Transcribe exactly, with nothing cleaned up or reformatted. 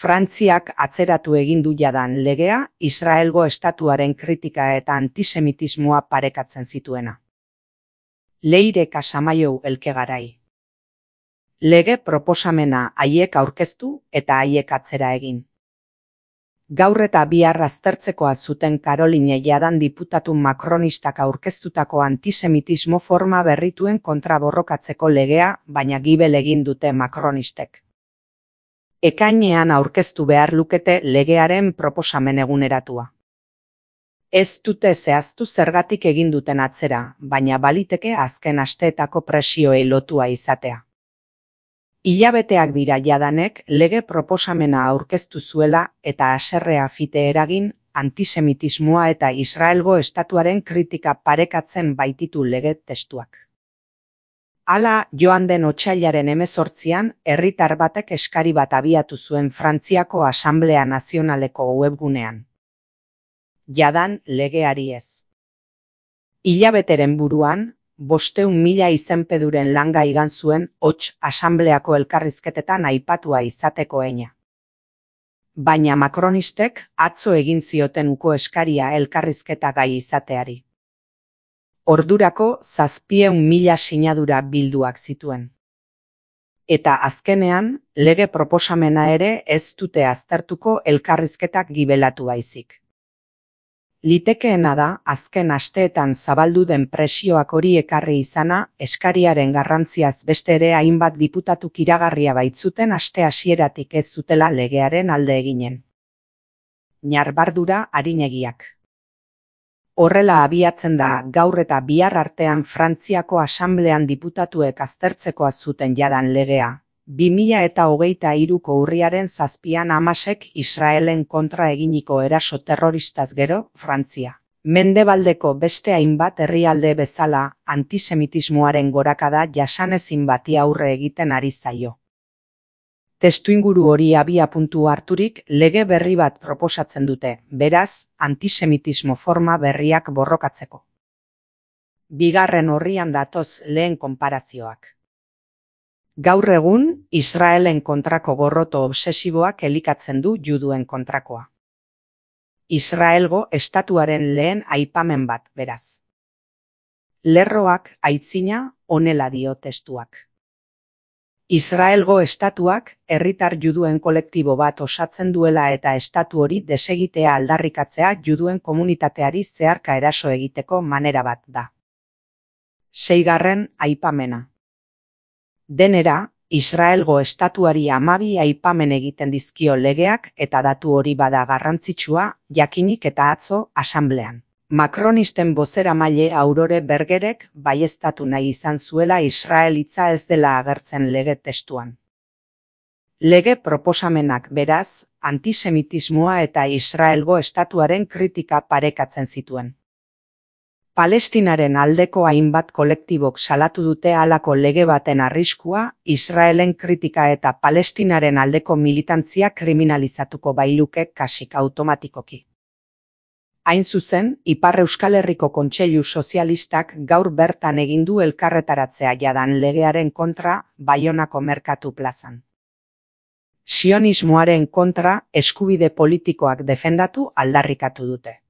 Frantziak atzeratu egin du jadan legea Israelgo estatuaren kritika eta antisemitismoa parekatzen zituena. Leire Casamaiu Elkegarai. Lege proposamena haiek aurkeztu eta haiek atzera egin. Gaur eta bihar aztertzekoa zuten Caroline jadan diputatu makronistak aurkeztutako antisemitismo forma berrituen kontra borrokatzeko legea, baina gibel egin dute makronistek. Ekainean aurkeztu behar lukete legearen proposamen eguneratua. Ez dute zehaztu zergatik egin duten atzera, baina baliteke azken asteetako presioei lotua izatea. Hilabeteak dira jadanek lege proposamena aurkeztu zuela eta haserrea fite eragin, antisemitismoa eta Israelgo estatuaren kritika parekatzen baititu lege testuak. Hala, joan den otsailaren hemezortzian, herritar batek eskari bat abiatu zuen Frantziako Asanblea Nazionaleko webgunean. Jadan legeari ez. Hilabeteren buruan, bosteun mila izenpeduren langa igan zuen hots asanbleako elkarrizketetan aipatua izateko eina. Baina makronistek atzo egin zioten uko eskaria elkarrizketa gai izateari. Ordurako zazpieun mila sinadura bilduak zituen. Eta azkenean, lege proposamena ere ez dute aztertuko elkarrizketak gibelatu baizik. Litekeena da, azken asteetan zabaldu den presioak hori ekarri izana, eskariaren garrantziaz beste ere hainbat diputatuk iragarria baitzuten aste hasieratik ez zutela legearen alde eginen. Ñarbardura arinegiak. Horrela abiatzen da gaur eta bihar artean Frantziako Asanblean diputatuek aztertzekoa zuten jadan legea. bi mila eta hogeita hiruko urriaren zazpian Hamasek Israelen kontra eginiko eraso terroristaz gero, Frantzia. Mendebaldeko beste hainbat herrialde bezala, antisemitismoaren gorakada jasanezin bati aurre egiten ari zaio. Testuinguru hori abiapuntu harturik lege berri bat proposatzen dute, beraz, antisemitismo forma berriak borrokatzeko. Bigarren orrian datoz lehen konparazioak. Gaur egun, Israelen kontrako gorroto obsesiboak elikatzen du juduen kontrakoa. Israelgo estatuaren lehen aipamen bat, beraz. Lerroak aitzina honela dio testuak. Israelgo estatuak herritar juduen kolektibo bat osatzen duela eta estatu hori desegitea aldarrikatzea juduen komunitateari zeharka eraso egiteko manera bat da. Seigarren aipamena. Denera, Israelgo estatuari hamabi aipamen egiten dizkio legeak eta datu hori bada garrantzitsua, jakinik eta atzo asanblean. Makronisten bozeramaile Aurore Bergerek baieztatu nahi izan zuela Israel hitza ez dela agertzen lege testuan. Lege proposamenak beraz, antisemitismoa eta Israelgo estatuaren kritika parekatzen zituen. Palestinaren aldeko hainbat kolektibok salatu dute halako lege baten arriskua, Israelen kritika eta Palestinaren aldeko militantzia kriminalizatuko bailuke kasik automatikoki. Hain zuzen, Ipar Euskal Herriko Kontseilu Sozialistak gaur bertan egin du elkarretaratzea jadan legearen kontra Baionako merkatu plazan. Sionismoaren kontra eskubide politikoak defendatu aldarrikatu dute.